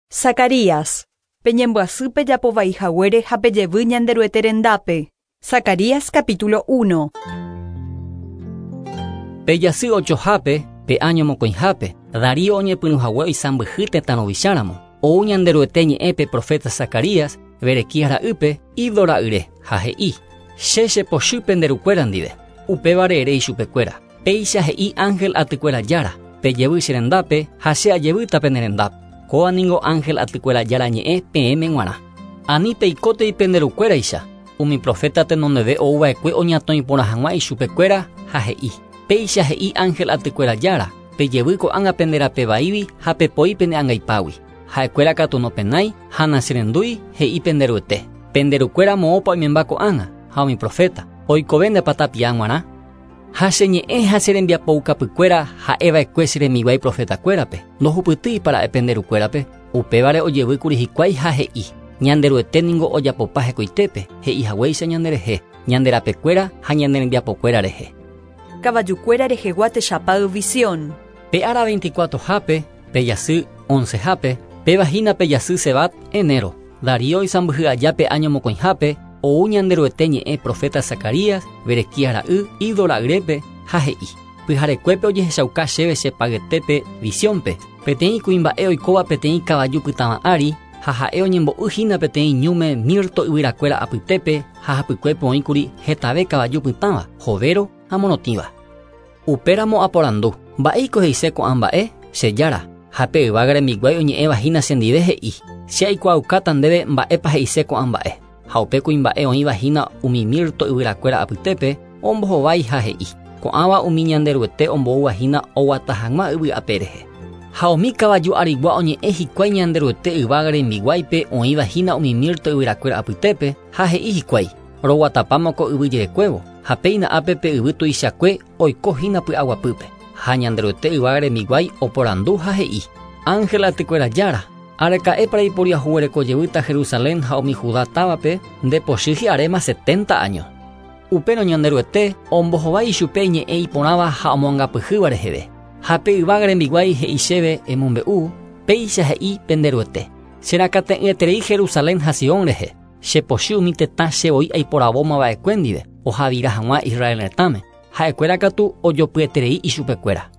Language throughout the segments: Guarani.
Zacarías, peñembyasy pejapovai haguére ha pejevy Ñanderuete rendápe. Zacarías capítulo 1. Pe jasy ochohápe, pe áño mokõihápe, Darío oñepyrũhague oisãmbyhy tetã ruvicháramo. Ou Ñanderuete ñe'ẽ pe profeta Zacarías, Berequías ra'ýpe, Iddo ra'yre, ha he'i: Che chepochy pende rukuéra ndive. Upévare ere ichupekuéra: Péicha he'i ángel atykuéra Jára, Pejevy che rendápe ha che ajevýta pene rendápe. Kóva ningo ángel atykuéra Jára ñe'ẽ peẽme g̃uarã. Ani peikótei pende rukuéraicha, umi proféta tenondeve ouva'ekue oñatõi porã hag̃ua ichupekuéra ha he'i, Péicha he'i ángel atykuéra Jára, Pejevy ko'ág̃a pende rape vaígui ha pepoi pene angaipágui. Ha'ekuéra katu nopenái ha nacherendúi, he'i pende Ruete. Pende rukuéra moõpa oimemba ko'ág̃a, ha umi proféta, oikove ndepa tapia g̃uarã? Ha che ñe'ẽ ha che rembiapoukapykuéra ha'eva'ekue che rembiguái profetakuérape, ndohupytýipa ra'e pende rukuérape? Upévare ojevýkuri hikuái ha he'i, Ñanderuete ningo ojapopa hekoitépe, he'i haguéicha ñanderehe, ñande rapekuéra ha ñane rembiapokuéra rehe. Kavajukuéra rehegua techapáy visión. Pe ára veinticuatrohápe, pe jasy oncehápe, péva hína pe jasy Sebat, enero, Darío oisãmbyhy aja pe áño mokõihápe, ou Ñanderuete ñe'ẽ proféta Zacarías, Berequías ra'y, Iddo ra'yrépe, ha he'i, Pyharekuépe ojehechauka chéve che payetépe, visiónpe, peteĩ kuimba'e oikóva peteĩ kavaju pytãva ári, ha ha'e oñembo'y hína peteĩ ñúme mirto yvyrakuéra apytépe ha hapykuépe oĩkuri hetave kavaju pytãva, hovéro ha morotĩva. Upéramo aporandu, Mba'éiko he'ise ko'ã mba'e, che Jára? Ha pe yvága rembiguái oñe'ẽva hína chendive he'i, Che aikuaaukáta ndéve mba'épa he'ise ko'ã mba'e. Ha upe kuimba'e oĩva hína umi mirto yvyrakuéra apytépe, ombohovái ha he'i, Ko'ãva umi Ñanderuete omboúva hína oguata hag̃ua yvy ape rehe. Ha umi kavaju arigua oñe'ẽ hikuái Ñanderuete yvága rembiguáipe oĩva hína umi mirto yvyrakuéra apytépe, ha he'i hikuái, Roguatapáma ko yvy jerekuévo, ha péina ápe pe yvy tuichakue oiko hína py'aguapýpe. Ha Ñanderuete yvága rembiguái oporandu ha he'i, Ángel atykuéra Jára, araka'épa reiporiahuvereko jevýta Jerusalén ha umi Judá távape nde pochy hi'aréma setenta áño? Upérõ Ñanderuete ombohovái ichupe iñe'ẽ iporãva ha omoangapyhýva reheve. Ha pe yvága rembiguái he'i chéve emombe'u, Péicha he'i pende Ruete, Che rakate'ỹeterei Jerusalén ha Sion rehe, che pochy umi tetã che voi aiporavóma va'ekue ndive ohavira hag̃ua Israel retãme, ha'ekuéra katu ojopyeterei ichupekuéra.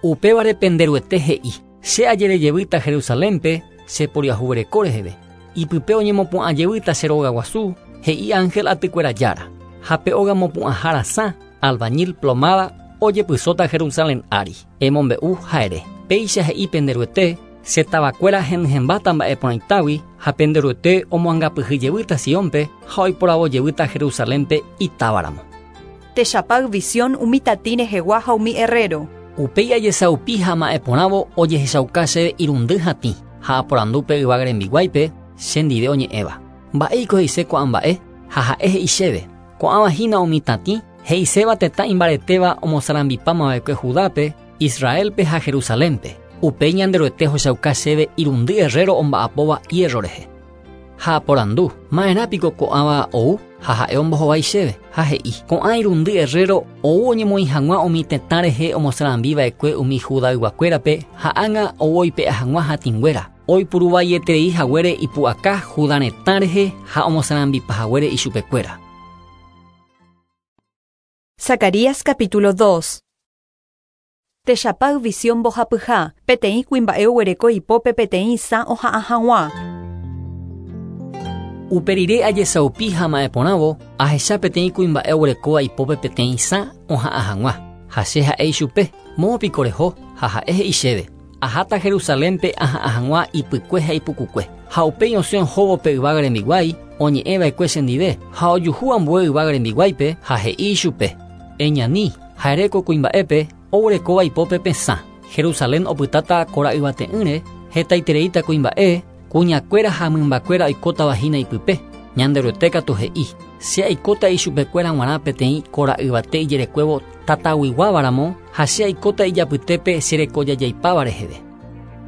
Upévare pende Ruete he'i, Che ajere jevýta Jerusalénpe che poriahuvereko reheve, ipype oñemopu'ã jevýta che róga guasu, he'i ángel atykuéra Jára, ha pe óga mopu'ãha rasã, albañil plomada, ojepysóta Jerusalén ári. Emombe'u ha ere, Péicha he'i pende Ruete, Che tavakuéra henyhẽmbáta mba'e porãitágui, ha pende Ruete omoangapyhy jevýta Siónpe ha oiporavo jevýta Jerusalénpe itávaramo. Techapáy visión umi tatĩ rehegua ha umi herréro. Upéi ajesaupi ha ama'ẽ porãvo ojehechauka chéve irundy hatĩ, ha aporandu pe yvága rembiguáipe, che ndive oñe'ẽva. Mba'éiko he'ise ko'ã mba'e? Ha ha'e he'i chéve, Ko'ãva hína umi tatĩ, he'iséva tetã imbaretéva omosarambipáma va'ekue Judápe, Israélpe ha Jerusalénpe. Upéi Ñanderuete ohechauka chéve irundy herréro omba'apóva hiérro rehe. Ha aporandu, Ma'erã piko ko'ãva ou? Ha ha'e ombohovái chéve, ha he'i, Ko'ã irundy herréro ou oñemoĩ hag̃ua umi tetã rehe omosarambi va'ekue umi Judayguakuérape ha ág̃a ou oipe'a hag̃ua hatĩnguéra, oipuru vaieterei haguére ipu'aka Juda retã rehe ha omosarambipa haguére ichupekuéra. Zacarías capítulo 2. Techapáy visión mbohapyha, peteĩ kuimba'e oguereko ipópe peteĩ isã oha'ã hag̃ua. Upe rire ajesaupi ha ama'ẽ porãvo, ahecha peteĩ kuimba'e oguerekóva ipópe peteĩ isã oha'ã hag̃ua. Ha che ha'e ichupe, Moõ piko reho? Ha ha'e he'i chéve, Aháta Jerusalénpe aha'ã hag̃ua ipykue ha ipukukue. Ha upéi osẽ ohóvo pe yvága rembiguái, oñe'ẽ va'ekue chendive, ha ojuhu ambue yvága rembiguáipe, ha he'i ichupe, Eñani, ha ere ko kuimba'épe, oguerekóva ipópe pe sã. Jerusalén opytáta kora yvate'ỹre, hetaitereíta kuimba'e, kuñakuéra ha mymbakuéra oikótava hína ipype. Ñanderuete katu he'i, Che aikóta ichupekuéra g̃uarã peteĩ kora yvate ijerekuévo tataguiguáva ramo, ha che aikóta ijapytépe che rekojajaipáva reheve.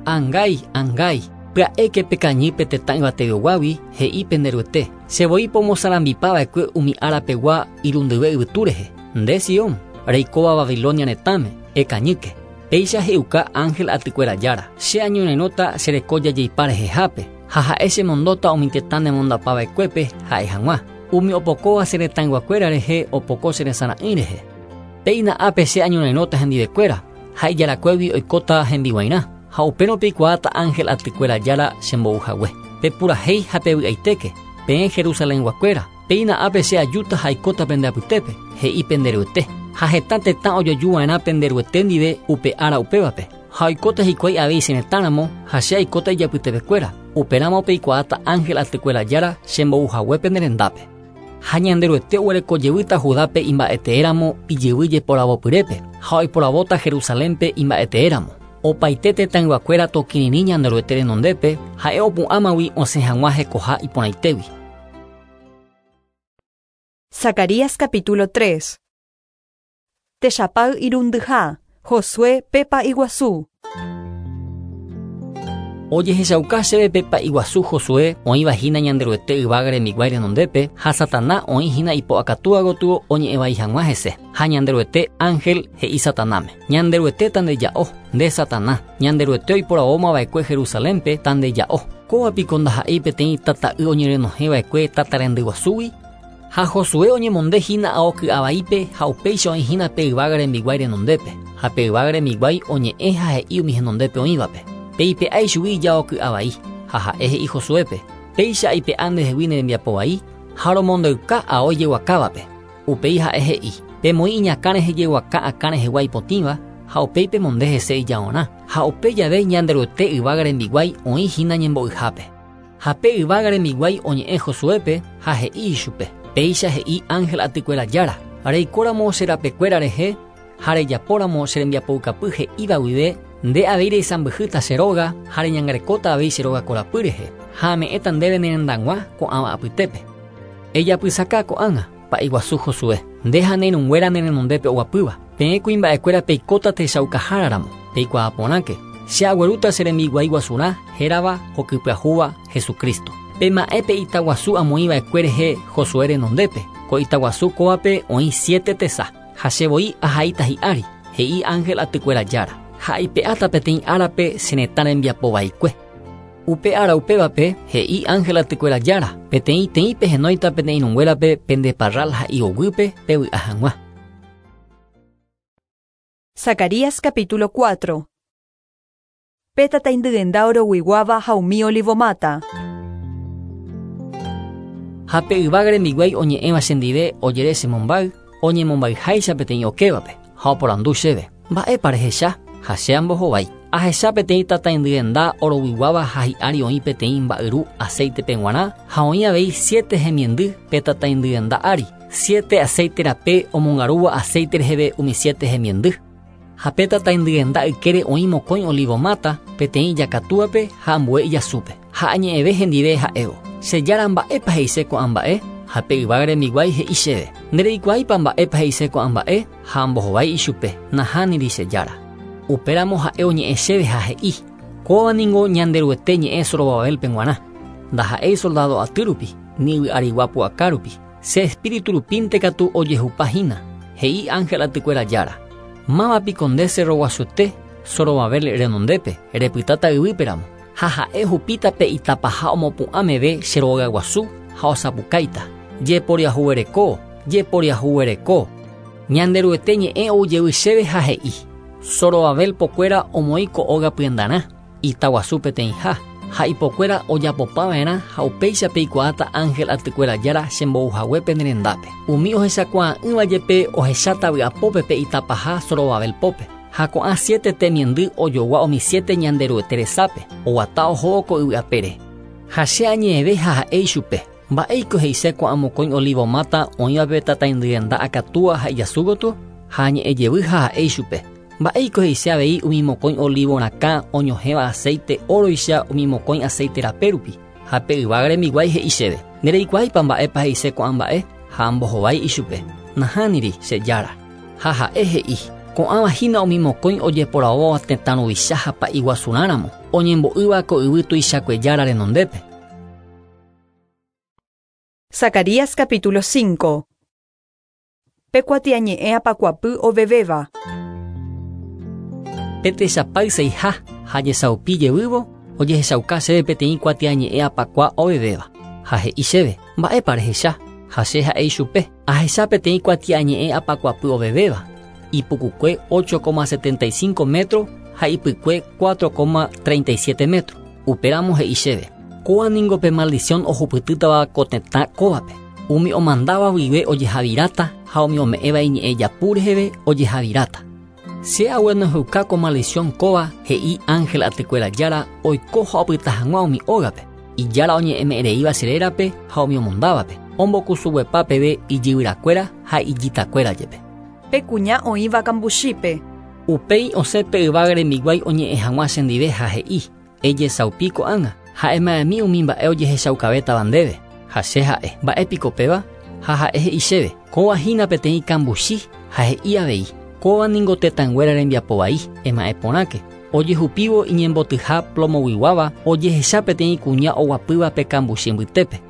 Angái, angái, pya'éke pekañy pe tetã yvateveguágui, he'i pende Ruete, che voi pomosarambipa va'ekue umi ára pegua irundyve yvytu rehe. Nde, Sion, reikóva Babilonia retãme, ekañýke. Péicha he'iuka ángel atykuéra Jára, Che añorairõta che reko jajeipa rehehápe, ha ha'e chemondóta umi tetã nemondapa va'ekuépe ha'e hag̃ua, Umi opokóva che retãyguakuéra rehe opoko che resara'ỹi rehe. Péina ápe che añorairõta hendivekuéra, ha ijarakuégui oikóta hembiguairã, ha upérõ peikuaáta ángel atykuéra Jára chembou hague. Pepurahéi ha pevy'aitéke, peẽ Jerusalenguakuéra, péina ápe che ajúta ha aikóta pende apytépe, he'i pende Ruete. Ha heta tetã ojoaju va'erã pende Ruete ndive upe ára upévape, ha oikóta hikuái avei che retã ramo, ha che aikóta ijapytepekuéra, upéramo peikuaáta ángel atykuéra Jára chembou hague pene rendápe. Ha Ñanderuete oguereko jevýta Judápe imba'eteéramo ijyvy jeporavopyrépe, ha oiporavóta Jerusalénpe imba'eteéramo. Opaite tetãyguakuéra tokirirĩ Ñanderuete renondépe, ha'e opu'ãmagui osẽ hag̃ua hekoha iporãitégui. Zacarías capítulo 3. Techapáy irundyha, Josué pe pa'i guasu. Ojehechauka chéve pe pa'i guasu Josué oĩva hína Ñanderuete yvága rembiguái renondépe ha Satana oĩ hína ipo akatúa gotyo oñe'ẽ vai hag̃ua hese. Ha Ñanderuete ánhel he'i Satanáme, Ñanderuete tandeja'o, nde Satana, Ñanderuete oiporavóma va'ekue Jerusalénpe tandeja'o. Kóva piko ndaha'éi peteĩ tata'y oñerenohẽ va'ekue tata rendy guasúgui? Ha Josué oñemonde hína ao ky'a vaípe ha upéicha oĩ hína pe yvága rembiguái renondépe, ha pe yvága rembiguái oñe'ẽ ha he'i umi henondépe oĩvape, Peipe'a ichugui ijao ky'a vai. Ha ha'e he'i Josuépe, Péicha aipe'a ndehegui ne rembiapo vai, ha romondeyka ao ijeguakávape. Upéi ha'e he'i, Pemoĩ iñakã rehe jeguaka akã rehegua ipotĩva, ha upéi pemonde hese ijaorã. Ha upe jave Ñanderuete yvága rembiguái oĩ hína ñembo'yhápe. Ha pe yvága rembiguái oñe'ẽ Josuépe ha he'i ichupe, Péicha he'i ángel atykuéra Jára, Reikóramo che rapekuéra rehe ha rejapóramo che rembiapoukapy he'íva guive, nde avei reisãmbyhýta che róga ha reñangarekóta avei che róga korapy rehe, ha ame'ẽta ndéve ne rendag̃ua ko'ãva apytépe. Ejapysaka ko'ág̃a, pa'i guasu Josué, nde ha ne irũnguéra ne renondépe oguapýva, peẽ kuimba'ekuéra peikóta techaukahára ramo, peikuaa porãke, che aguerúta che rembiguái guasurã hérava hokypyahúva Jesucristo. Pema'ẽ pe ita guasu amoĩ va'ekue rehe Josué renondépe, ko ita guasu kóvape oĩ siete tesa, ha che voi ahaíta hi'ári, he'i ángel atykuéra Jára, ha aipe'áta peteĩ árape che retã rembiapo vaikue. Upe ára upévape, he'i ángel atykuéra Jára, peteĩ teĩ pehenóita pene irũnguérape pende parral ha hi'oguýpe pevy'a hag̃ua. Zacarías capítulo 4. Pe tataindyenda oroguiguáva ha umi olivomáta. Ha pe yvága rembiguái oñe'ẽva chendive ojere che mombáy, oñemombayháicha peteĩ okévape, ha oporandu chéve, Mba'épa rehecha? Ha che ambohovái, Ahecha peteĩ tataindyenda oroguiguáva ha hi'ári oĩ peteĩ mba'yru aséitepe g̃uarã ha oĩ avei siete hemiendy pe tataindyenda ári, siete aséite rape omongarúva aséite reheve umi siete hemiendy. Ha pe tataindyenda ykére oĩ mokõi olívo máta, peteĩ ijakatúape ha ambue ijasúpe. Ha añe'ẽve hendive ha'évo, Che Jára mba'épa he'ise ko'ã mba'e? Ha pe yvága rembiguái he'i chéve, Ndereikuaáipa mba'épa he'ise ko'ã mba'e? Ha ambohovái ichupe, Nahániri che Jára. Upéramo ha'e oñe'ẽ chéve ha he'i, Kóva ningo Ñanderuete ñe'ẽ Zorobabélpe g̃uarã, ndaha'éi soldádo aty rupi, ni yvy arigua pu'aka rupi, che espíritu rupínte katu ojehupa hína, he'i ángel atykuéra Jára. Máva piko nde cerroguasuete Zorobabel renondépe, repytáta yvýpe ramo, ha ha'e ohupíta pe itapaha omopu'ã meve che rogaguasu ha osapukáita, Jeporiahuvereko, jeporiahuvereko! Ñanderuete ñe'ẽ ou jevy chéve ha he'i, Zorobabel pokuéra omoĩ ko óga pyendarã, ita guasu peteĩha, ha ipokuéra ojapopa va'erã ha upéicha peikuaáta ángel atykuéra Jára chembou hague pene rendápe. Umi ohechakuaa'ỹva jepe ohecháta vy'apópe pe ita paha Zorobabel pópe. Ha ko'ã siete temiendy ojogua umi siete Ñanderuete resápe, oguata ohóvo ko yvy apére. Ha che añe'ẽve ha ha'e ichupe, Mba'éiko he'ise ko'ã mokõi olívo máta oĩva pe tataindyenda akatúa ha ijasu gotyo? Ha añe'ẽ jevy ha ha'e ichupe, Mba'éiko he'ise avei umi mokõi olívo rakã oñohẽva aséite óroicha umi mokõi aséite rape rupi? Ha pe yvága rembiguái he'i chéve, Ndereikuaáipa mba'épa he'ise ko'ã mba'e? Ha ambohovái ichupe, Nahániri, che Jára. Ha ha'e he'i, Ko'ãva hína umi mokõi ojeporavóva tetã ruvicha ha pa'i guasurã ramo, oñembo'ýva ko yvy tuichakue Jára renondépe. Zacarías capítulo 5. Pe kuatiañe'ẽ apakuapy ovevéva. Pe techapáy seiha ha jesaupi jevývo ojehechauka chéve peteĩ kuatiañe'ẽ apakua ovevéva. Ha he'i chéve, mba'épa rehecha? Ha che ha'e ichupe, ahecha peteĩ kuatiañe'ẽ apakuapy ovevéva, ipukukue 8,75 metro ha ipykue 4,37 metro. Upéramo he'i chéve, kóva ningo pe maldición ohupytýtava ko tetã kóvape. Umi omandáva guive ojehaviráta ha umi ome'ẽva iñe'ẽ japu reheve ojehaviráta. Che aguenoheuka ko maldición kóva he'i ángel atykuéra jára oiko ha opyta hag̃ua umi ógape. Ijára oñe'ẽme'ẽreíva che rérape ha umi omondávape, ombokusuguepa peve ijyvyrakuéra ha ijitakuéra jepe. Pe kuña oĩva kambuchípe. Upéi osẽ pe yvága rembiguái oñe'ẽ hag̃ua chendive ha he'i, Ejesaupi ko'ág̃a, ha'ema'ẽmi umi mba'e ojehechaukavétava ndéve. Ha che ha'e, mba'e piko péva? Ha ha'e he'i chéve, kóva hína peteĩ kambuchi, ha he'i avei, kóva ningo tetãnguéra rembiapo vai, ema'ẽ porãke. Ojehupívo iñembotyha plomoguiguáva ojehecha peteĩ kuña oguapýva pe kambuchi mbytépe.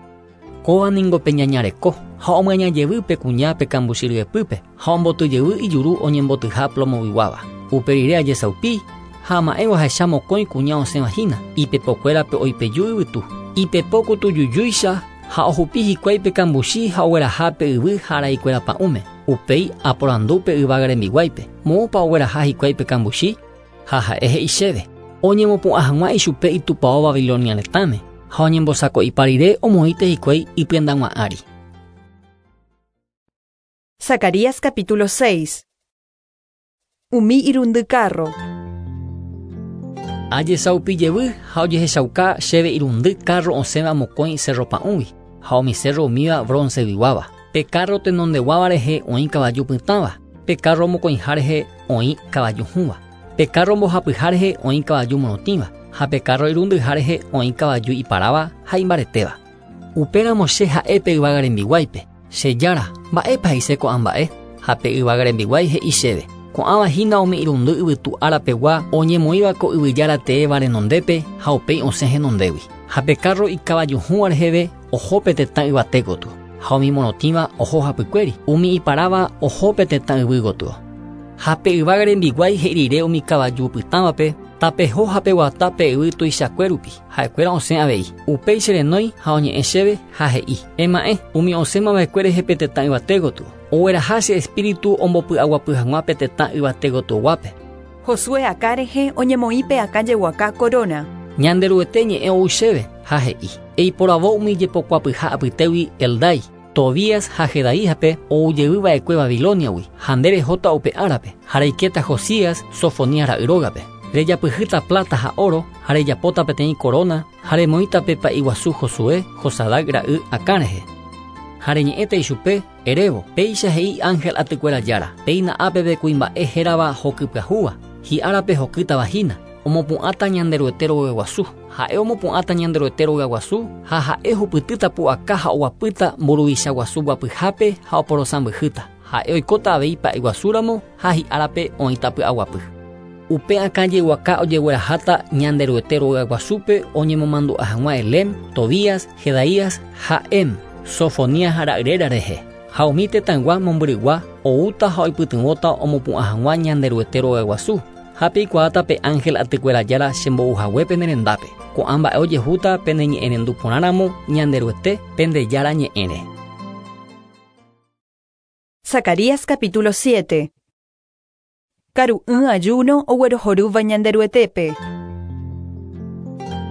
Kóva ningo pe ñaña reko, ha omyaña jevy pe kuña pe kambuchi ryepýpe, ha omboty jevy ijuru oñembotyha plomoguiguáva. Upe rire ajesaupi, ha ama'ẽvo ahecha mokõi kuña osẽva hína, ipepokuérape oipeju yvytu. Ipepo kutujujúicha ha ohupi hikuái pe kambuchi ha ogueraha pe yvy ha araikuéra pa'ũme. Upéi aporandu pe yvága rembiguáipe, moõpa ogueraha hikuái pe kambuchi? Ha ha'e he'i chéve, oñemopu'ã hag̃ua ichupe itupao Babilonia retãme, ha oñembosako'ipa rire omoĩte hikuái ipyendag̃ua ári. Zacarías capítulo 6. Umi irundy kárro. Ajesaupi jevy ha ojehechauka chéve irundy kárro osẽva mokõi sérro pa'ũgui, ha umi sérro umíva bronceguiguáva. Pe kárro tenondeguáva rehe oĩ kavaju pytãva, pe kárro mokõiha rehe oĩ kavaju hũva, pe kárro mbohapyha rehe oĩ kavaju morotĩva, ha pe kárro irundyha rehe oĩ kavaju iparáva ha imbaretéva. Upéramo che ha'e pe yvága rembiguáipe, Che Jára, mba'épa he'ise ko'ã mba'e? Ha pe yvága rembiguái he'i chéve, Ko'ãva hína umi irundy yvytu ára pegua oñemoĩva ko yvy jára teéva renondépe ha upéi osẽ henondégui. Ha pe kárro ikavajuhũva reheve oho pe tetã yvate gotyo, ha umi morotĩva oho hapykuéri, umi iparáva oho pe tetã yvy gotyo. Ha pe yvága rembiguái he'i rire umi kavaju pytãvape, Tapeho ha peguata pe yvy tuichakue rupi, ha'ekuéra osẽ avei. Upéi che renói ha oñe'ẽ chéve ha he'i, Ema'ẽ, umi osẽma va'ekue rehe pe tetã yvate gotyo, ogueraha che espíritu ombopy'aguapy hag̃ua pe tetã yvate gotyoguápe. Josué akã rehe oñemoĩ pe akã jeguaka koróna. Ñanderuete ñe'ẽ ou chéve, ha he'i, Eiporavo umi jepokuapyha apytégui Heldai, Tobías ha Jedaíjape ou jey va'ekue Babilóniagui, ha nde rehóta upe árape, ha reikéta Josías, Sofonías ra'y rógape. Rejapyhýta pláta ha óro, ha rejapóta peteĩ koróna, ha remoĩta pe pa'i guasu Josué, Josadac ra'y akã rehe. Ha reñe'ẽta ichupe, erévo, Péicha he'i ángel atykuéra Jára, Péina ápeve kuimba'e hérava hoky pyahúva, hi'árape hokýtava hína, omopu'ãta Ñanderuete rogaguasu. Ha'e omopu'ãta Ñanderuete rogaguasu ha ha'e ohupytýta pu'aka ha oguapýta mburuvicha guasu guapyhápe ha oporosãmbyhýta. Ha'e oikóta avei pa'iguasúramo ha hi'árape oĩta py'aguapy. Upe akã jeguaka ojegueraháta Ñanderuete rogaguasúpe oñemomandu'a hag̃ua Helem, Tobías, Jedaías ha Em, Sofonías ra'yréra rehe. Ha umi tetãygua mombyrygua oúta ha oipytyvõta omopu'ã hag̃ua Ñanderuete rogaguasu, ha peikuaáta pe ángel atykuéra Jára chembou hague pene rendápe. Ko'ã mba'e ojehúta peneñe'ẽrendu porãramo Ñanderuete, pende Jára ñe'ẽre. Zacarías capítulo 7. Karu'ỹ ayuno oguerohorýva Ñanderuetépe.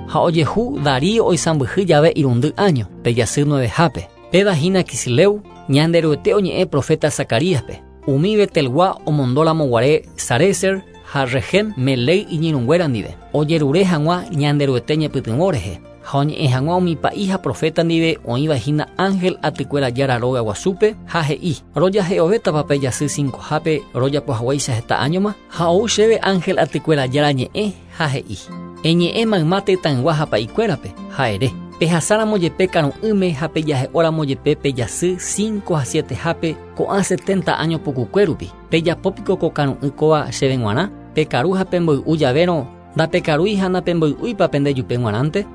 Ha ojehu Darío oisãmbyhy jave irundy áño, pe jasy nuevehápe. Péva hína Quisleu, Ñanderuete oñe'ẽ proféta Zacaríaspe, umi Betelgua omondóramo guare Sarézer ha Regem Melec iñirũnguéra ndive, ojerure hag̃ua Ñanderuete ñepytyvõ rehe, ha oñe'ẽ hag̃ua umi pa'i ha proféta ndive oĩva hína ángel atykuéra Jára róga guasúpe, ha he'i, Rojahe'ovétapa pe jasy cincohápe rojapo haguéicha heta áñoma? Ha ou chéve ángel atykuéra Jára ñe'ẽ, ha he'i, Eñe'ẽ mayma tetãygua ha pa'ikuérape, ha ere, Pehasáramo jepe karu'ỹme ha pejahe'óramo jepe pe jasy cinco ha sietehápe ko'ã setenta áño pukukue rupi, pejapo piko ko karu'ỹ kóva chéve g̃uarã? Pekaru ha pemboy'u javérõ, ndapekarúi ha napemboy'úipa pende jupe g̃uarãnte?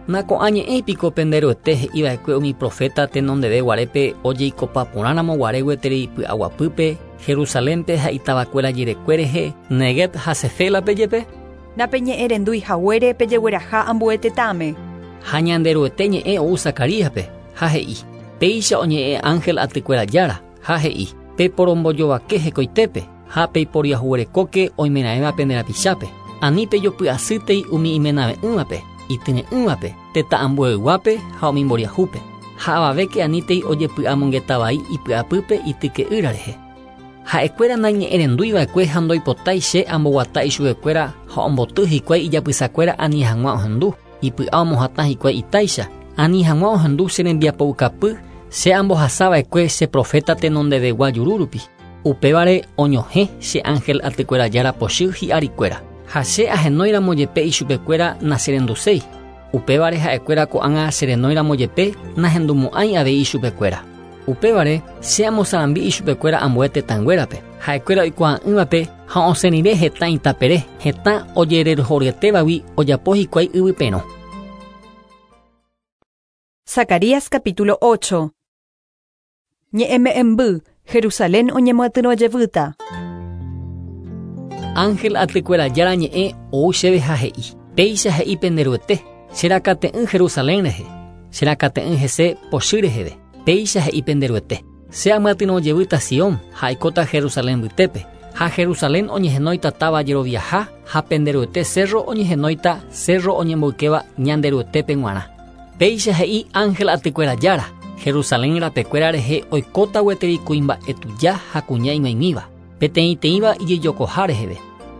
Nako'ã ñe'ẽi piko pende Ruete he'i va'ekue umi proféta tenondeve guarépe ojeikopa porãramo guare gueteri py'aguapýpe? Jerusalénpe ha itavakuéra jerekue rehe, Negueb ha Sefélape jepe? Napeñe'ẽrendúi haguére pejegueraha ambue tetãme. Ha Ñanderuete ñe'ẽ ou Zacaríaspe, ha he'i, Péicha oñe'ẽ ángel atykuéra Jára, ha he'i, Peporombojovake hekoitépe, ha peiporiahuverekóke oimeraẽva pende rapichápe. Ani pejopy'asýtei umi imenave'ỹvape, ityre'ỹvape, tetã ambueyguápe ha umi mboriahúpe. Ha avavéke anítei ojepy'amongeta vai ipy'apýpe ityke'ýra rehe. Ha'ekuéra naiñe'ẽrenduiva'ekue ha ndoipotái che amboguata ichupekuéra ha omboty hikuái ijapysakuéra ani hag̃ua ohendu, ipy'a omohatã hikuái itáicha, ani hag̃ua ohendu che rembiapoukapy che ambohasava'ekue che proféta tenondevegua juru rupi. Upévare oñohẽ che ángel atykuéra Jára pochy hi'arikuéra. Ha che ahenóiramo jepe ichupekuéra nacherenduséi. Upévare ha'ekuéra ko'ág̃a cherenóiramo jepe nahendumo'ãi avei ichupekuéra. Upévare che amosarambi ichupekuéra ambue tetãnguérape. Ha'ekuéra oikuaa'ỹvape ha osẽ rire hetã itapere, hetã ojererohoryetévagui ojapo hikuái yvyperõ. Zacarías capítulo 8. Ñe'ẽme'ẽmby, Jerusalén oñemyatyrõ jevýta. Ángel atykuéra Jára ñe'ẽ ou chéve ha he'i, Péicha he'i pende Ruete, che rakate'ỹ Jerusalén rehe, che rakate'ỹ hese pochy reheve. Péicha he'i pende Ruete, che amyatyrõ jevýta Sion ha aikóta Jerusalén mbytépe, ha Jerusalén oñehenóita táva jeroviaha ha pende Ruete cerro oñehenóita cerro oñemboykéva Ñanderuetépe g̃uarã. Péicha he'i ángel atykuéra Jára, Jerusalén rapekuéra rehe oikóta gueteri kuimba'e tuja ha kuña ig̃uaig̃uíva, peteĩteĩva ijejokoha reheve,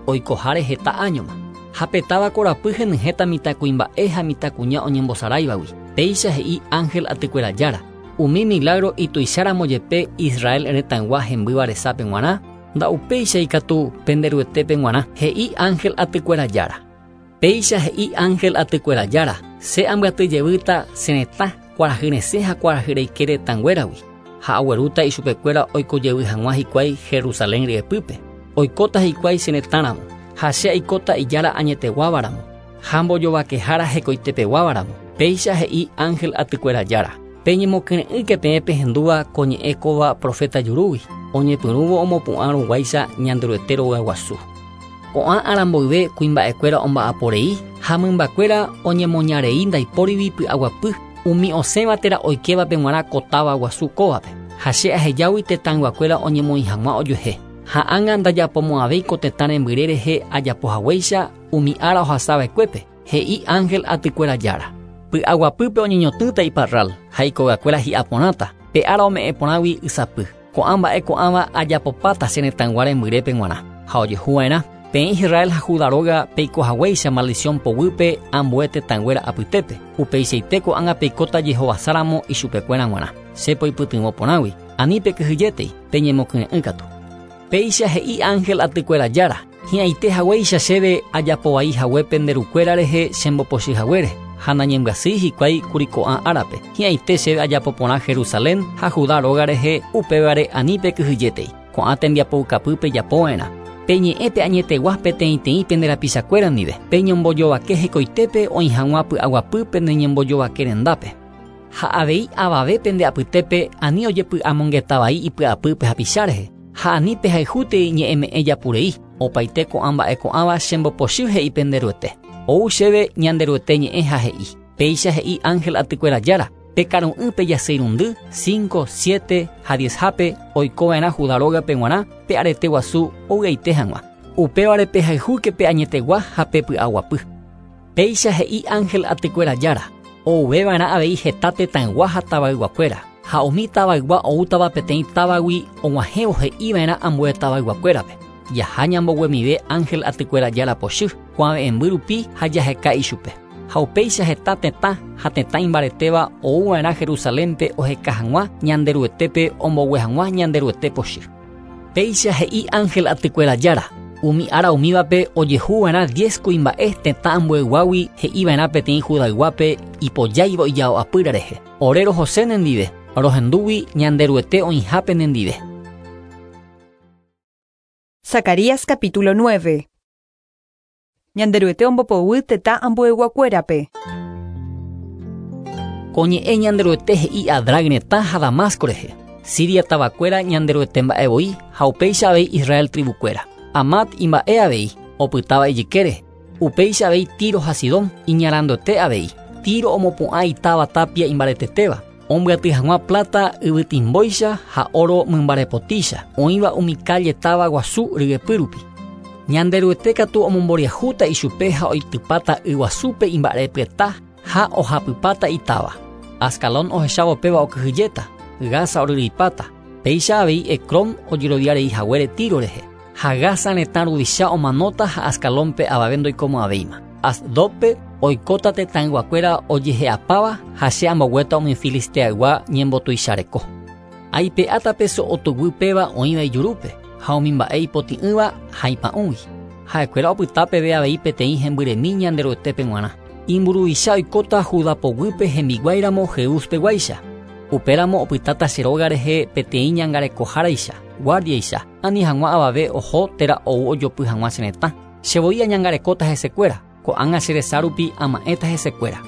oikoháre heta áñoma. Ha pe táva korapy henyhẽta mitãkuimba'e ha mitãkuña oñembosaráivagui. Péicha he'i ángel atykuéra Jára, umi milagro ituicháramo jepe Israel retãygua hembýva resápe g̃uarã, nda'upéichai katu pende Ruetépe g̃uarã, he'i ángel atykuéra Jára. Péicha he'i ángel atykuéra Jára, che ambyaty jevýta che retã, kuarahy resẽ ha kuarahy reike retãnguéragui, ha aguerúta ichupekuéra oiko jevy hag̃ua hikuái Jerusalén ryepýpe. Oikóta hikuái che retãramo, ha che aikóta ijára añeteguávaramo, ha mbojovakehára hekoitepeguávaramo. Péicha he'i ángel atykuéra Jára. Peñemokyre'ỹke peẽ pehendúva ko ñe'ẽ kóva proféta jurúgui, oñepyrũvo omopu'ã ruguáicha Ñanderuete rogaguasu. Ko'ã ára mboyve kuimba'ekuéra omba'aporei ha mymbakuéra oñemoñarei ndaipórigui py'aguapy umi osẽva térã oikévape g̃uarã ko táva guasu kóvape, ha che ahejágui tetãyguakuéra oñemoĩ hag̃ua ojuehe. Ha ág̃a ndajapomo'ãvéi ko tetã rembyre rehe ajapo haguéicha umi ára ohasava'ekuépe, he'i ángel atykuéra Jára. Py'aguapýpe oñeñotỹta iparral ha ikogakuéra hi'a porãta, pe ára ome'ẽ porãgui ysapy. Ko'ã mba'e ko'ãva ajapopáta che retãygua rembyrépe g̃uarã. Ha ojehuva'erã, peẽ Israel ha Judá róga peiko haguéicha maldición poguýpe ambue tetãnguéra apytépe, upeichaite ko'ág̃a peikóta jehovasáramo ichupekuéra g̃uarã. Che poipytyvõ porãgui, ani pekyhyjétei, peñemokyre'ỹ katu. Péicha he'i ángel atykuéra Jára, hi'ãite haguéicha chéve ajapo vai hague pende rukuéra rehe chembopochy haguére, ha nañembyasýi hikuái kuri ko'ã árape. Hi'ãite chéve ajapo porã Jerusalén ha Judá róga rehe, upévare ani pekyhyjétei. Ko'ã tembiapoukapy pejapova'erã. Peñe'ẽ pe añetegua peteĩteĩ pende rapichakuéra ndive, peñombojovake hekoitépe oĩ hag̃ua py'aguapy pende ñembojovake rendápe. Ha avei avave pende apytépe ani ojepy'amongeta vai ipy'apýpe hapicha rehe, ha ani pehayhútei ñe'ẽme'ẽ japurei, opaite ko'ã mba'e ko'ãva chembopochy he'i pende Ruete. Ou chéve Ñanderuete ñe'ẽ ha he'i, péicha he'i ángel atykuéra Jára, pekaru'ỹ pejaseirundy, 5, 7 ha 10 hápe oikova'erã Judá rógape g̃uarã pe arete guasu ovy'aite hag̃ua. Upévare pehayhúke pe añetegua ha pe py'aguapy. Péicha he'i ángel atykuéra Jára, ouveva'erã avei heta tetãygua ha tavayguakuéra, ha umi tavaygua oútava peteĩ távagui og̃uahẽvo he'iva'erã ambue tavayguakuérape. Jaha ñamboguemive ángel atykuéra Jára pochy, kuave'ẽmby rupi ha jaheka ichupe. Ha upéicha heta tetã ha tetã imbaretéva ouva'erã Jerusalénpe oheka hag̃ua Ñanderuetépe ombogue hag̃ua Ñanderuete pochy. Péicha he'i ángel atykuéra Jára, umi ára umívape ojehuva'erã 10 kuimba'e tetã ambueyguágui he'iva'erã peteĩ Judayguápe ipojáiva ijao apýra rehe. Ore rohose nendive, rohendúgui Ñanderuete oĩhápe nendive. Zacarías capítulo 9. Ñanderuete ombopoguy tetã ambueyguakuérape. Ko ñe'ẽ Ñanderuete he'i Adrag retã ha Damasco rehe. Siria tavakuéra Ñanderuete mba'e voi Ha upéicha avei Israel tribukuéra. Amat imba'e avei, opytáva ijykére. Upéicha avei Tiro ha Sidón, iñaranduete avei. Tiro omopu'ã itáva tapia imbaretetéva. Ombyaty hag̃ua plata yvytimbóicha ha oro mymbarepotícha, oĩva umi calle táva guasu ryepy rupi. Ñanderuete katu omomboriahúta ichupe ha oitypáta yguasúpe imba'erepyeta ha ohapypáta itáva. Ascalón ohechávo péva okyhyjéta, Gaza oryryipáta. Péicha avei Ecrón ojeroviarei haguére Tiro rehe. Ha Gaza retã ruvicha omanóta ha Ascalónpe avave ndoikomo'ãvéima. Asdodpe oikóta tetãyguakuéra ojehe'apáva ha che amboguéta umi Filisteaygua ñembotuichareko. Aipe'áta pe so'o tuguy péva oĩva ijurúpe ha umi mba'e ipotĩ'ỹva ha ipa'ũgui. Ha'ekuéra opyta peve avei peteĩ hembyremi Ñanderuetépe g̃uarã. Imburuvicha oikóta Judá poguýpe hembiguáiramo Jeús peguáicha. Upéramo opytáta che róga rehe peteĩ ñangarekoháraicha, guárdiaicha, ani hag̃ua avave oho térã ou ojopy hag̃ua che retã. Che voi añangarekóta hesekuéra, ko'ág̃a che resa rupi ama'ẽta hesekuéra.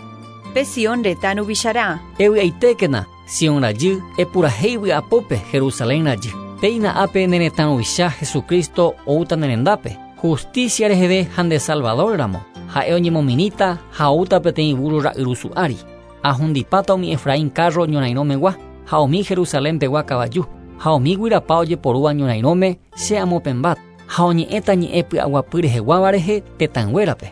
Pe Sion retã ruvicharã. Evy'aitékena, Sion rajy, epurahéi vy'apópe, Jerusalén rajy. Péina ápe ne retã ruvicha Jesucristo oúta ne rendápe, justicia reheve ha nde Salvador ramo. Ha'e oñemomirĩta ha oúta peteĩ búrro ra'yrusu ári. Ahundipáta umi Efraín kárro ñorairõmegua ha umi Jerusalén pegua kavaju, ha umi guyrapa ojeporúva ñorairõme che amopẽmbáta, ha oñe'ẽta ñe'ẽ py'aguapy reheguáva rehe tetãnguérape.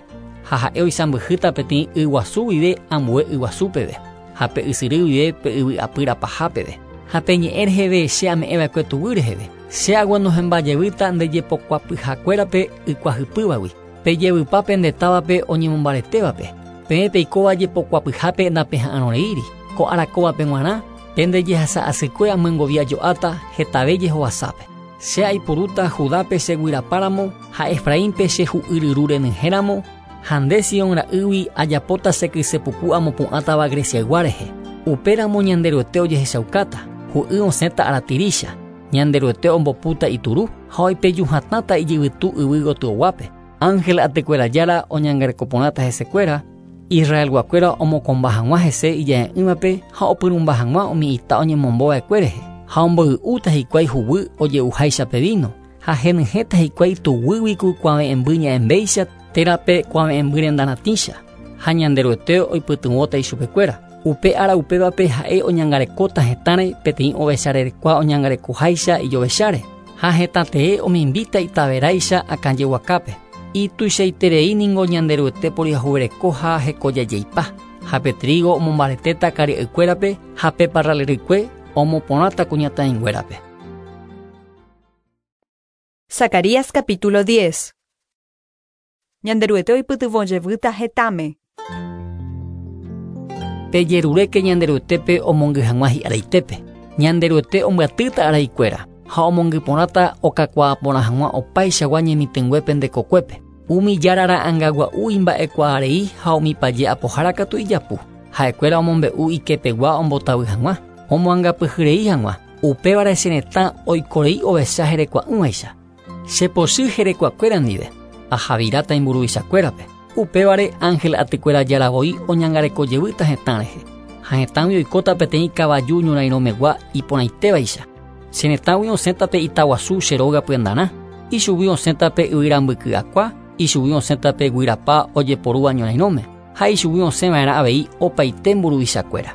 Ha ha'e oisãmbyhýta peteĩ yguasu guive ambue yguasu peve, ha pe ysyry guive pe yvy apýra paha peve. Ha pe ñe'ẽ reheve che ame'ẽva'ekue tuguy reheve, che aguenohẽmba jevýta nde jepokuapyhakuérape ykuahypývagui. Pejevypa pende távape oñemombaretévape, peẽ peikóva jepokuapyhápe napeha'arõreíri. Ko ára kóvape g̃uarã, pende jehasa asykue amyengovia jo'áta hetave jehovasápe. Che aipurúta Judápe che guyrapáramo ha Efraínpe che hu'y ryru renyhẽramo, ha nde Sion ra'ýgui ajapóta che kyse puku amopu'ãtava Greciaygua rehe. Upéramo Ñanderuete ojehechaukáta, hu'y osẽta aratirícha. Ñanderuete ombopúta ituru ha oipeju hatãta ijyvytu yvy gotyoguápe. Ángel atykuéra Jára oñangareko porãta hesekuéra, Israelguakuéra omokõmba hag̃ua hese ija'e'ỹvape ha opyrũmba hag̃ua umi ita oñemombo va'ekue rehe, ha omboy'úta hikuái huguy oje'uháicha pe víno, ha henyhẽta hikuái tuguýgui ku kuave'ẽmby ña'ẽmbéicha térã pe kuave'ẽmby renda ratĩcha, ha Ñanderuete oipytyvõta ichupekuéra. Upe ára upévape ha'e oñangarekóta hetãre peteĩ ovecha rerekua oñangarekoháicha ijovecháre, ha hetã tee omimbíta itaveráicha akãjeguakápe. Ituichaiterei ningo Ñanderuete poriahuvereko ha hekojajeipa, ha pe trígo omombaretéta karia'ykuérape ha pe parral rykue omoporãta kuñataĩnguérape. Zacarías capítulo 10. Ñanderuete oipytyvõ jevýta hetãme. Pejeruréke Ñanderuetépe omongy hag̃ua hi'araitépe. Ñanderuete ombyatýta araikuéra ha omongy porãta okakuaa porã hag̃ua opaichagua ñemitỹngue pende kokuépe. Umi jára ra'ãngagua'u imba'ekuaarei ha umi paje apohára katu ijapu. Ha'ekuéra omombe'u ikepegua ombotavy hag̃ua, omoangapyhyrei hag̃ua. Upévare che retã oikorei ovecha herekua'ỹvaicha. Che pochy herekuakuéra ndive, ahaviráta imburuvichakuérape. Upévare ángel atykuéra Jára voi oñangareko jevýta hetã rehe. Ha hetãgui oikóta peteĩ kavaju ñorairõmegua iporãitévaicha. Che retãgui osẽta pe ita guasu che róga pyendarã, ichugui osẽta pe yvyra mbyky akua, ichugui osẽta pe guyrapa ojeporúva ñorairõme, ha ichugui osẽ va'erã avei opaite mburuvichakuéra.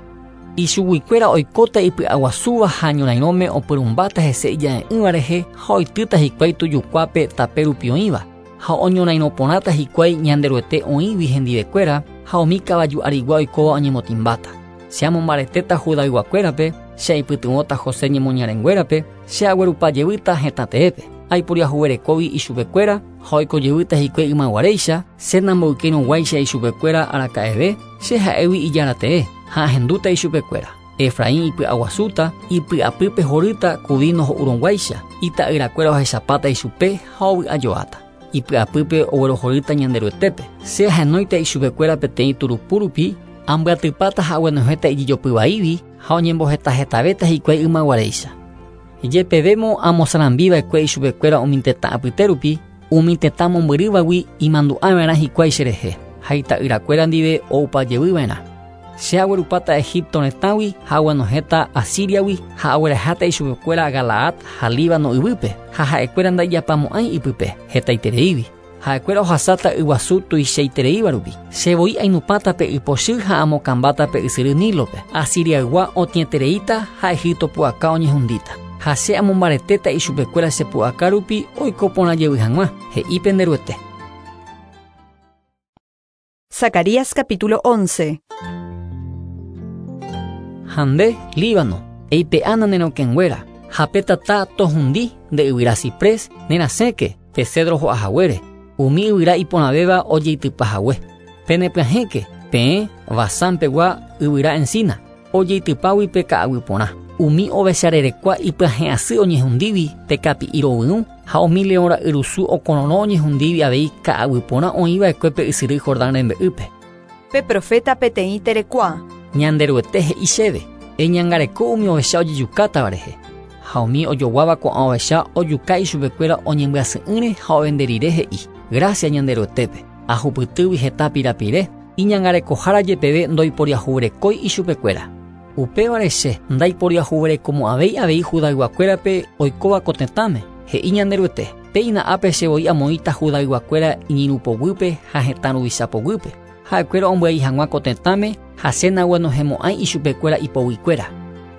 Ichuguikuéra oikóta ipy'aguasúva ha ñorairõme opyrũmbáta hese ija'e'ỹva rehe ha oitýta hikuái tujukuápe tape rupi oĩva, ha oñorairõ porãta hikuái Ñanderuete oĩgui hendivekuéra ha umi kavaju arigua oikóva oñemotĩmbáta. Che amombaretéta Judayguakuérape, che aipytyvõta José ñemoñarenguérape, che aguerupa jevýta hetã teépe. Aiporiahuverekógui ichupekuéra ha oiko jevýta hikuái ymaguaréicha, che namboykérõguáicha ichupekuéra araka'eve, che ha'égui Ijára tee, ha ahendúta ichupekuéra. Efraín ipy'aguasúta, ipy'apýpe horýta ku víno ho'urõguáicha, ita'yrakuéra ohechapáta ichupe ha ovy'ajoáta. Ipy'apýpe oguerohorýta Ñanderuetépe. Che ahenóita ichupekuéra peteĩ turupu rupi, ambyatypáta ha aguenohẽta ijejopy vaígui ha oñembohetahetavéta hikuái ymaguaréicha. Jepevémo amosarambiva'ekue ichupekuéra umi tetã apyte rupi, umi tetã mombyrývagui imandu'ava'erã hikuái cherehe, ha ita'yrakuéra ndive oupa jevyva'erã. Che aguerupáta Egipto retãgui ha aguenohẽta Asíriagui ha agueraháta ichupekuéra Galaad ha Líbano yvýpe, ha ha'ekuéra ndaijapamo'ãi ipype, hetaitereígui. Ha'ekuéra ohasáta yguasu tuichaitereíva rupi. Che voi ainupãta pe y pochy ha amokãmbáta pe ysyry Nílope. Asiriaygua otĩetereíta ha Egipto pu'aka oñehundíta. Ha che amombaretéta ichupekuéra che pu'aka rupi oiko porã jevy hag̃ua, he'i pende Ruete. Zacarías capítulo 11. Ha nde, Líbano, eipe'ána ne rokẽnguéra, ha pe tata tohundi nde yvyra ciprés, nerasẽke pe cedro ho'a haguére, umi yvyra iporãvéva ojeitypa hague. Penepyahẽke, peẽ, Basán pegua yvyra encina, ojeitypágui pe ka'aguy porã. Umi ovecharerekua ipyahẽ asy oñehundígui pe kapi'i rovyũ ha umi leõ ra'yrusu okororõ oñehundígui avei ka'aguy porã oĩ va'ekue pe ysyry Jordán rembe'ýpe. Pe proféta peteĩ terekua. Ñanderuete he'i chéve, Eñangareko umi ovecha ojejukátava rehe. Ha umi ojoguáva ko'ã ovecha ojuka ichupekuéra oñembyasy'ỹre ha ovende rire he'i, Grásia Ñanderuetépe, ahupytýgui heta pirapire, iñangarekohára jepeve ndoiporiahuverekói ichupekuéra. Upévare che ndaiporiahuverekomo'ãvéi avei Judayguakuérape oikóva ko tetãme, he'i Ñanderuete, Péina ápe che voi amoĩta Judayguakuéra iñirũ poguýpe ha hetã ruvicha poguýpe, ha'ekuéra ombyai hag̃ua ko tetãme ha che naguenohẽmo'ãi ichupekuéra ipoguikuéra.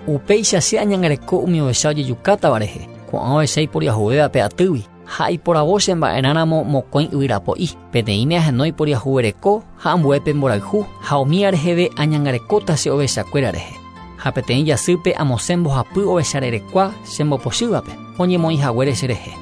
Upéicha che añangareko umi ovecha ojejukátava rehe, ko'ã ovecha iporiahuvéva pe atýgui. Ha aiporavo che mba'erãramo mokõi yvyrapo'i, peteĩme ahenói poriahuvereko ha ambuépe mborayhu, ha umíva reheve añangarekóta che ovechakuéra rehe. Ha peteĩ jasýpe amosẽ mbohapy ovecha rerekua che mbopochývape, oñemoĩ haguére che rehe.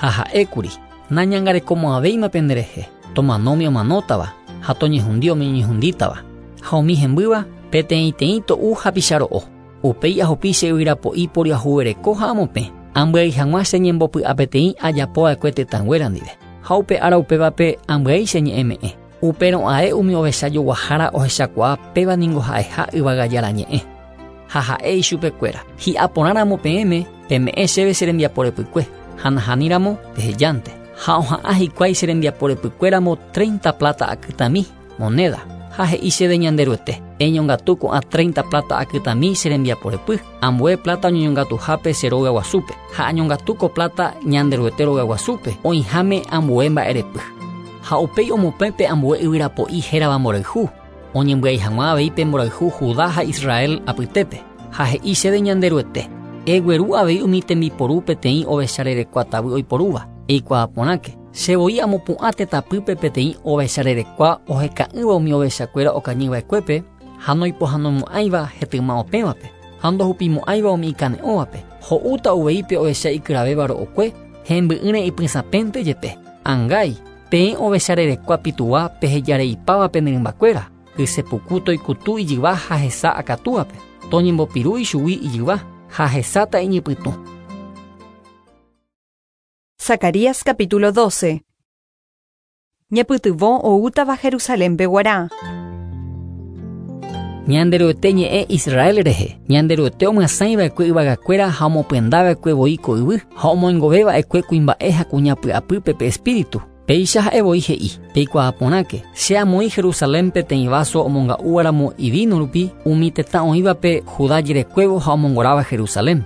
Ha ha'ékuri, Nañangarekomo'ãvéima pende rehe, tomano umi omanótava, ha toñehundi umi oñehundítava. Ha umi hembýva, peteĩteĩ to'u hapicha ro'o. Upéi ahupi che yvyrapo'i poriahuvereko ha amopẽ, ambyai hag̃ua che ñembopy'apeteĩ ajapo va'ekue tetãnguéra ndive. Ha upe ára upévape ambyai che ñe'ẽme'ẽ. Upérõ ae umi ovecha joguahára ohechakuaa péva ningo ha'eha Yvága Jára ñe'ẽ. Ha ha'e ichupekuéra, Hi'a porã ramo peẽme, peme'ẽ chéve che rembiapo repykue, ha nahániri ramo, pehejánte. Ha oha'ã hikuái che rembiapo repykue ramo treinta pláta akytãmi, monéda. Ha he'i chéve Ñanderuete, Eñongatu ko'ã treinta pláta akytãmi che rembiapo repy, ambue pláta oñeñongatuhápe che róga guasúpe, ha añongatu ko pláta Ñanderuete róga guasúpe, oĩháme ambue mba'erepy. Ha upéi omopẽ pe ambue yvyrapo'i hérava mborayhu, oñembyai hag̃ua avei pe mborayhu Judá ha Israel apytépe. Ha he'i chéve Ñanderuete, Egueru avei umi tembiporu peteĩ ovecha rerekua tavy oiporúva, eikuaa porãke. Che voi amopu'ã tetãpýpe peteĩ ovecha rerekua oheka'ỹva umi ovechakuéra okañy va'ekuépe ha noipohãnomo'ãiva hetyma opẽvape, ha ndohupimo'ãiva umi ikane'õvape, ho'úta uvei pe ovecha ikyravéva ro'okue, hemby'ỹre ipysãpénte jepe. Angái, peẽ ovecha rerekua pituva pehejareipáva pene rymbakuéra, kyse puku toikutu ijyva ha hesa akatúape, toñembopiru ichugui ijyva, ha hesáta iñypytũ. Zacarías capítulo 12. Ñepytyvõ oútava Jerusalénpe guarã. Ñanderuete ñe'ẽ Israel rehe, Ñanderuete omyasãi va'ekue yvagakuéra ha omopyenda va'ekue voi ko yvy, ha omoingove va'ekue kuimba'e ha kuña py'apýpe pe Espíritu. Péicha ha'e voi he'i, Peikuaa porãke, che amoĩ Jerusalén peteĩ váso omonga'úvaramo ivíno rupi umi tetã oĩvape Judá jerekuévo ha omongoráva Jerusalén.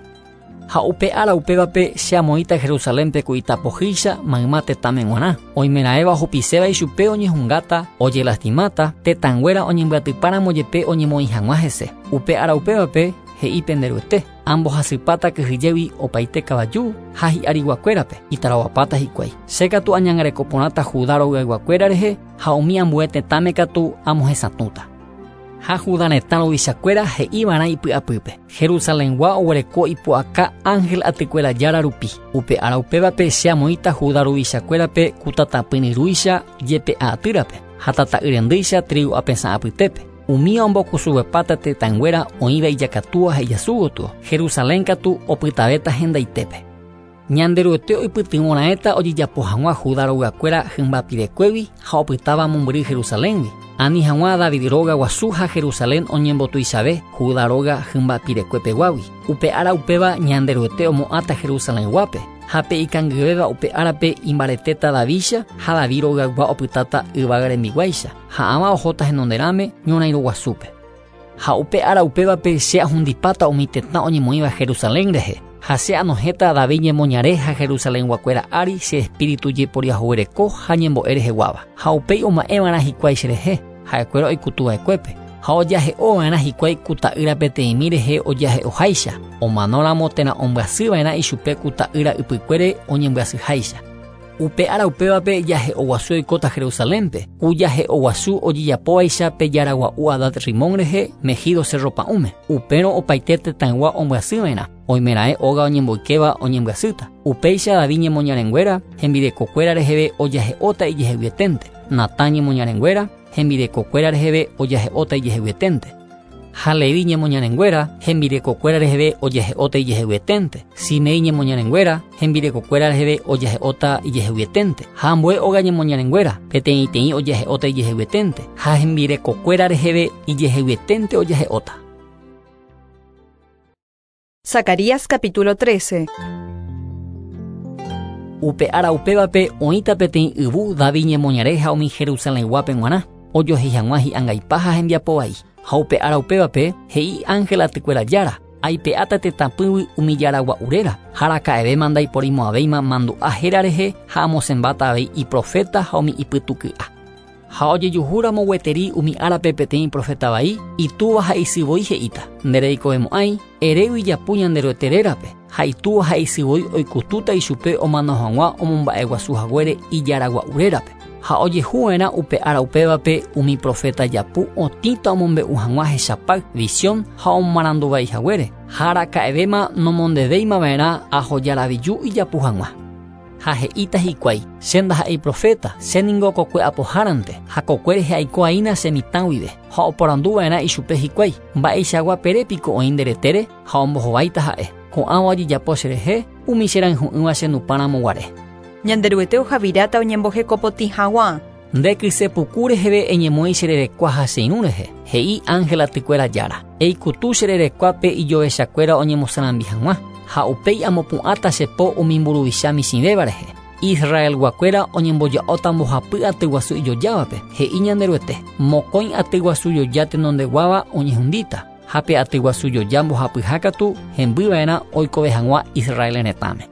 Ha upe ára upévape che amoĩta Jerusalénpe ku ita pohýicha mayma tetãme g̃uarã. Oimeraẽva ohupiséva ichupe oñehungáta, ojelastimáta, tetãnguéra oñembyatypáramo jepe oñemoĩ hag̃ua hese. Upe ára upévape, he'i pende Ruete, ambohasypáta kyhyjégui opaite kavaju ha hi'ariguakuérape, itarovapáta hikuái. Che katu añangareko porãta Judá rogayguakuéra rehe ha umi ambue tetãme katu amohesatũta. Ha Judá retã ruvichakuéra he'i va'erã ipy'apýpe, Jerusalengua oguereko ipu'aka ángel atykuéra Jára rupi. Upe ára upévape che amoĩta Judá ruvichakuérape ku tatapỹryrúicha jepe'a atýrape, ha tata'y rendýicha trígo apesã apytépe. Umíva ombokusuguepáta tetãnguéra oĩva ijakatúa ha ijasu gotyo, Jerusalén katu opytavéta hendaitépe. Ñanderuete oipytyvõ raẽta ojejapo hag̃ua Juda rogakuéra hymba pirekuégui ha opytáva mombyry Jerusaléngui, ani hag̃ua David róga guasu ha Jerusalén oñembotuichave Juda róga hymba pirekue peguágui. Upe ára upéva Ñanderuete omo'ãta Jerusalenguápe, ha pe ikangyvéva upe árape imbaretéta Davídcha ha David rogaygua opytáta yvága rembiguáicha, ha ãva ohóta henonderãme ñorãirõ guasúpe. Ha upe ára upévape che ahundipáta umi tetã oñemoĩva Jerusalén rehe, ha che anohẽta David ñemoñare ha Jerusalenguakuéra ári che espíritu jeporiahuvereko ha ñembo'e reheguáva. Ha upéi oma'ẽva'erã hikuái cherehe, ha'ekuéra oikutuva'ekuépe, ha ojahe'ova'erã hikuái ku ta'ýra peteĩmi rehe ojahe'oháicha, omanóramo térã ombyasyva'erã ichupe ku ta'ýra ypykuére oñembyasyháicha. Upe ára upévape jahe'oguasu oikóta Jerusalénpe, ku jahe'oguasu ojejapóvaicha pe jaragua'u Hadad Rimón rehe Megido cerro pa'ũme. Upérõ opaite tetãygua ombyasyva'erã, oimeraẽ óga oñemboykéva oñembyasýta. Upéicha David ñemoñarenguéra hembirekokuéra reheve ojahe'óta ijeheguieténte, Natán ñemoñarenguéra hembirekokuéra reheve ojahe'óta ijeheguieténte. Ha Levi ñemoñarenguéra hembirekokuéra reheve ojahe'óta ijeheguieténte. Simei ñemoñarenguéra hembirekokuéra reheve ojahe'óta ijeheguieténte. Ha ambue óga ñemoñarenguéra peteĩteĩ ojahe'óta ijeheguieténte. Ha hembirekokuéra reheve ijeheguieténte ojahe'óta. Zacarías capítulo 13. Upe ára upévape oĩta peteĩ yvu David ñemoñare ha umi Jerusalenguápe g̃uarã ojohéi hag̃ua hi'angaipa ha hembiapo vai. Ha upe ára upévape he'i ángel atykuéra jára, aipe'áta tetãpýgui umi jaragua'u réra, ha araka'evéma ndaiporimo'ãvéima mandu'a héra rehe ha amosẽmbáta avei iproféta ha umi ipytuky'a. Ha ojejuhúramo gueteri umi árape peteĩ proféta vai, itúva ha isy voi he'íta, ndereikovemo'ãi, erégui japu Ñanderuete rérape, ha itúva ha isy voi oikutúta ichupe omano hag̃ua omomba'eguasu haguére ijaragua'u rérape. Ha ojehuva'erã upe ára upévape umi proféta japu otĩta omombe'u hag̃ua hechapáy, visión ha omomaranduvai haguére, ha araka'evéma nomondevéimava'erã ahojaraviju ijapu hag̃ua. Ha he'íta hikuái, che ndaha'éi proféta, che ningo kokue apohárante, ha kokue rehe aiko'aína che mitã guive. Ha oporanduva'erã ichupe hikuái, mba'eichagua pere piko oĩ nde retére ha ombohováita ha'e. Ko'ãva ojejapo cherehe, umi che rayhu'ỹva che nupãramo guare. Ñanderuete ohaviráta oñembohekopotĩ hag̃ua. Nde kysepuku reheve eñemoĩ che rerekua ha che irũ rehe, he'i ángel atykuéra jára. Eikutu che rerekuápe ijovechakuéra oñemosarambi hag̃ua, ha upéi amopu'ãta che po umi mburuvicha michĩvéva rehe. Israelguakuéra oñemboja'óta mbohapy atyguasu ijojávape, he'i Ñanderuete. Mokõi atyguasu joja tenondeguáva oñehundíta, ha pe atyguasu joja mbohapyha katu hembyva'erã oikove hag̃ua Israel retãme.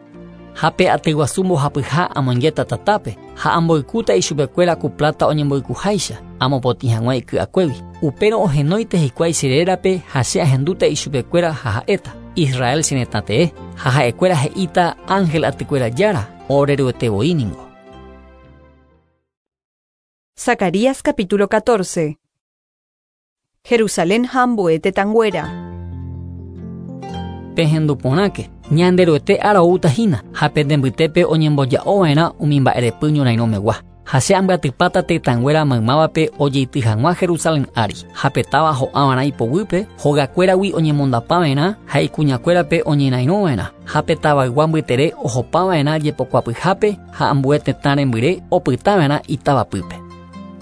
Ha pe atyguasu mbohapyha amoingéta tatápe, ha amboykúta ichupekuéra ku plata oñemboykuháicha, amopotĩ hag̃ua iky'akuégui. Upérõ ohenóite hikuái che rérape ha che ahendúta ichupekuéra ha ha'éta. Israel che retã tee, ha ha'ekuéra he'íta ángel atykuéra jára, oreruete voi ningo. Zacarías capítulo 14. Jerusalén ha ambue tetãnguéra. Pehendu porãke, Ñanderuete ára oúta hína, ha pende mbytépe oñemboja'ova'erã umi mba'erepy ñorairõmegua. Ha che ambyatypáta tetãnguéra maymávape ojeity hag̃ua Jerusalén ári, ha pe táva ho'ava'erã ipoguýpe, hogakuéragui oñemondapava'erã ha ikuñakuérape oñerairõva'erã, ha pe tavaygua mbytere ohopava'erã jepokuapyhápe ha ambue tetã rembyre opytava'erã itavapýpe.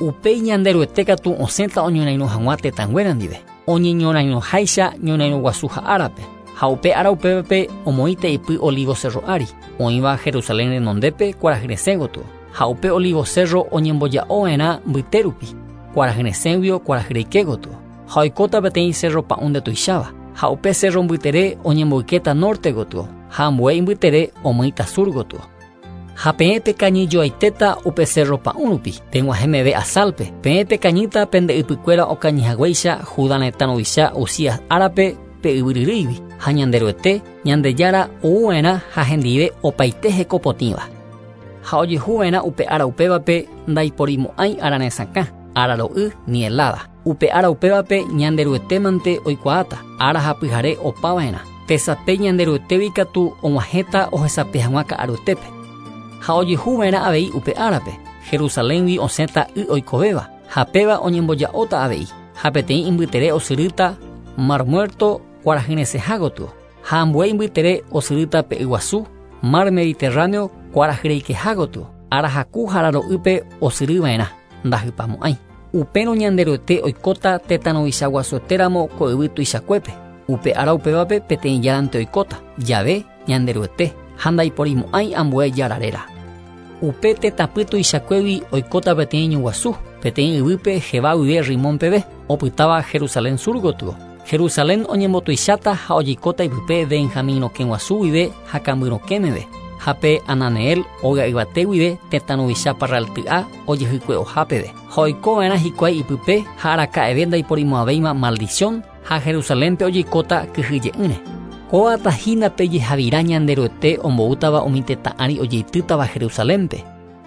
Upéi Ñanderuete katu osẽta oñorairõ hag̃ua tetãnguéra ndive, oñeñorairõháicha ñorairõguasuha árape. Ha upe ára upévape omoĩta ipy olivo cerro ári, oĩva Jerusalén renondépe kuarahyresẽ gotyo. Ha upe olivo cerro oñemboja'ova'erã mbyte rupi, kuarahyresẽguio kuarahyreike gotyo. Ha oikóta peteĩ cerro pa'ũ ndetuicháva, ha upe cerro mbytere oñemboykéta norte gotyo, ha ambue imbytere omýita sur gotyo. Ha peẽ pekañyjoaitéta upe cerro pa'ũ rupi, peg̃uahẽ meve Asalpe, peẽ pekañýta pende ypykuéra okañyhaguéicha Judá retã ruvicha Uzías árape pe yvyryrýigui, ha Ñanderuete, Ñandejára ouva'erã ha hendive opaite hekopotĩva. Ha ojehuva'erã upe ára upévape ndaiporimo'ãi araresakã, araro'y ni helada. Upe ára upévape Ñanderuetémante oikuaáta, ára ha pyhare opava'erã. Tesape Ñanderuetégui katu og̃uahẽta ohesape hag̃ua ka'aruetépe. Ha ojehuva'erã avei upe árape, Jerusaléngui osẽta y oikovéva, ha péva oñemboja'óta avei, ha peteĩ imbytere osyrýta Mar Muerto kuarahyresẽha gotyo, ha ambue imbytere osyrýta pe yguasu, Mar Mediterráneo kuarahyreikeha gotyo, arahaku ha araro'ýpe osyryva'erã, ndahypamo'ãi. Upérõ Ñanderuete oikóta tetã ruvichaguasuetéramo ko yvy tuichakuépe. Upe ára upévape peteĩ járante oikóta, jave Ñanderuete, ha ndaiporimo'ãi ambue jára réra. Upe tetãpy tuichakuégui oikóta peteĩ ñu guasu, Peteĩ yvýpe Geba guive Rimón peve, opytáva Jerusalén sur gotyo. Jerusalén oñembotuicháta ha ojeikóta ipype Benjamín rokẽ guasu guive ha kamby rokẽ meve, ha pe Ananeel óga yvate guive tetã ruvicha parralty'a ojehykue'oha peve. Ha oiko va'erã hikuái ipype ha araka'eve ndaiporimo'ãvéima maldición ha Jerusalénpe ojeikóta kyhyje'ỹre. Kóata hína pe jehavira Ñanderuete omboútava umi tetã ári ojeitýtava Jerusalénpe.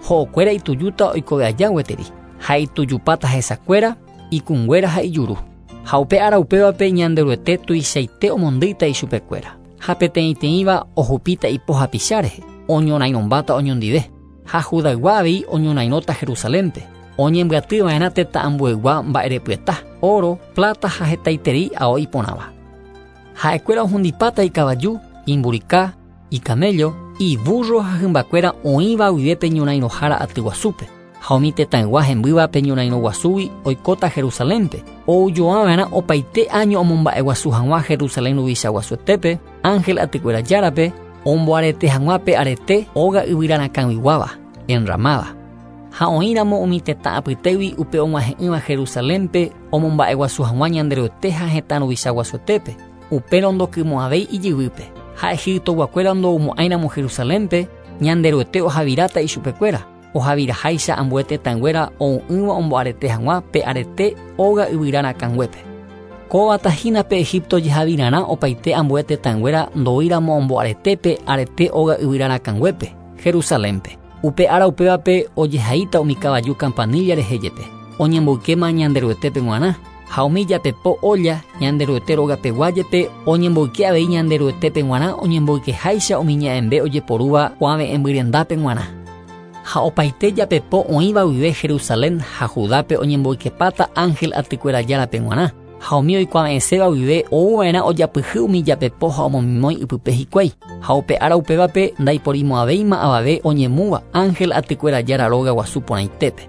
Ho'okuéra itujúta oikove aja gueteri, ha itujupáta hesakuéra, ikũnguéra ha ijuru. Ha upe ára upévape Ñanderuete tuichaite omondýita ichupekuéra, ha peteĩteĩva ohupíta ipo hapicha rehe, oñorairõmbáta oñondive. Ha Judaygua avei oñorairõta Jerusalénpe, oñembyaty va'erã tetã ambueygua mba'erepyeta, óro, pláta ha hetaiterei ao iporãva. Ha'ekuéra ohundipáta ikavaju, imburika, ikaméllo, ivúrro ha hymbakuéra oĩva guive pe ñorairõhára aty guasúpe. Ha umi tetãygua hembýva pe ñorairõ guasúgui oikóta Jerusalénpe, oujoava'erã opaite áño omomba'eguasu hag̃ua Jerusalén ruvicha guasuetépe, ángel atykuéra Járape, omboarete hag̃ua pe arete óga yvyrarakãguiguáva, enramáda. Ha oĩramo umi tetã apytégui upe og̃uahẽ'ỹva Jerusalénpe omomba'eguasu hag̃ua Ñanderuete ha hetã ruvicha guasuetépe, upérõ ndokymo'ãvéi ijyvýpe. Ha Egiptoguakuéra ndoumo'ãiramo Jerusalénpe, Ñanderuete ohaviráta ichupekuéra, ohaviraháicha ambue tetãnguéra ou'ỹva omboarete hag̃ua pe arete óga yvyra rakãnguépe. Kóvata hína pe Egipto jehavirarã opaite ambue tetãnguéra ndoúiramo omboarete pe arete óga yvyra rakãnguépe, Jerusalénpe. Upe ára upévape ojehaíta umi kavaju campanilla rehe jepe, oñemboykéma Ñanderuetépe g̃uarã, ha umi japepo olla Ñanderuete rogapegua jepe oñemboyke avei Ñanderuetépe g̃uarã oñemboykeháicha umi ña'ẽmbe ojeporúva kuave'ẽmbyrendápe g̃uarã. Ha opaite japepo oĩva guive Jerusalén ha Judápe oñemboykepáta ángel atykuéra Járape g̃uarã, ha umi oikuave'ẽséva guive ouva'erã ojapyhy umi japepo ha omomimói ipype hikuái. Ha upe ára upévape ndaiporimo'ãvéima avave oñemúva ángel atykuéra Jára róga guasu porãitépe.